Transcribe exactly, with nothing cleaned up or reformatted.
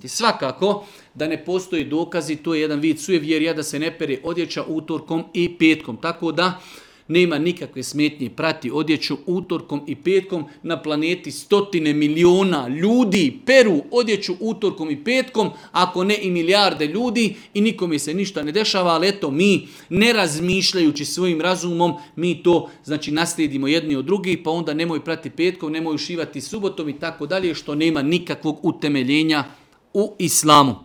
Svakako da ne postoji dokazi, to je jedan vid sujevjerja da se ne pere odjeća utorkom i petkom. Tako da nema nikakve smetnje prati odjeću utorkom i petkom. Na planeti stotine miliona ljudi peru odjeću utorkom i petkom, ako ne i milijarde ljudi i nikome se ništa ne dešava, ali eto mi ne razmišljajući svojim razumom, mi to znači naslijedimo jedni od drugih, pa onda nemoj prati petkom, nemoj ušivati subotom i tako dalje, što nema nikakvog utemeljenja u islamu.